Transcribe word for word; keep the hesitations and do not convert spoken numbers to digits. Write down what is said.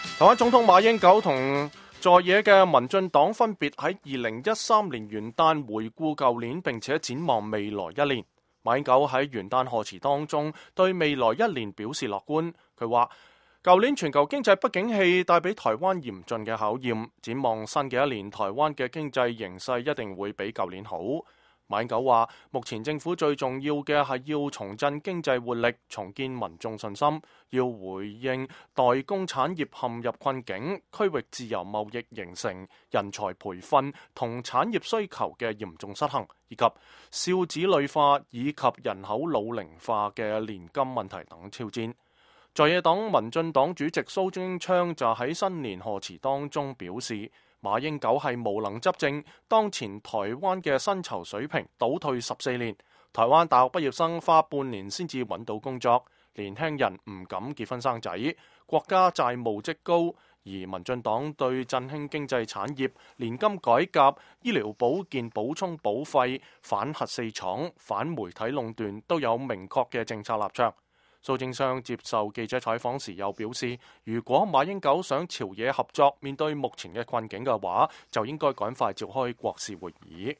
台灣總統馬英九同在野嘅民進黨分別喺二零一三年元旦回顧舊年，並且展望未來一年。馬英九喺元旦賀詞當中對未來一年表示樂觀，佢話舊年全球經濟不景氣帶俾台灣嚴峻嘅考驗，展望新嘅一年，台灣嘅經濟形勢一定會比舊年好。馬英九話：目前政府最重要嘅係要重振經濟活力，重建民眾信心，要回應代工產業陷入困境、區域自由貿易形成、人才培訓同產業需求嘅嚴重失衡，以及少子女化以及人口老齡化嘅年金問題等挑戰。在野黨民進黨主席蘇貞昌就喺新年賀詞當中表示，馬英九係無能執政，當前台灣嘅薪酬水平倒退十四年，台灣大學畢業生花半年先至揾到工作，年輕人唔敢結婚生仔，國家債務積高，而民進黨對振興經濟產業、年金改革、醫療保健補充保費、反核四廠、反媒體壟斷都有明確嘅政策立場。蘇貞昌接受記者採訪時又表示，如果馬英九想朝野合作，面對目前嘅困境嘅話，就應該趕快召開國是會議。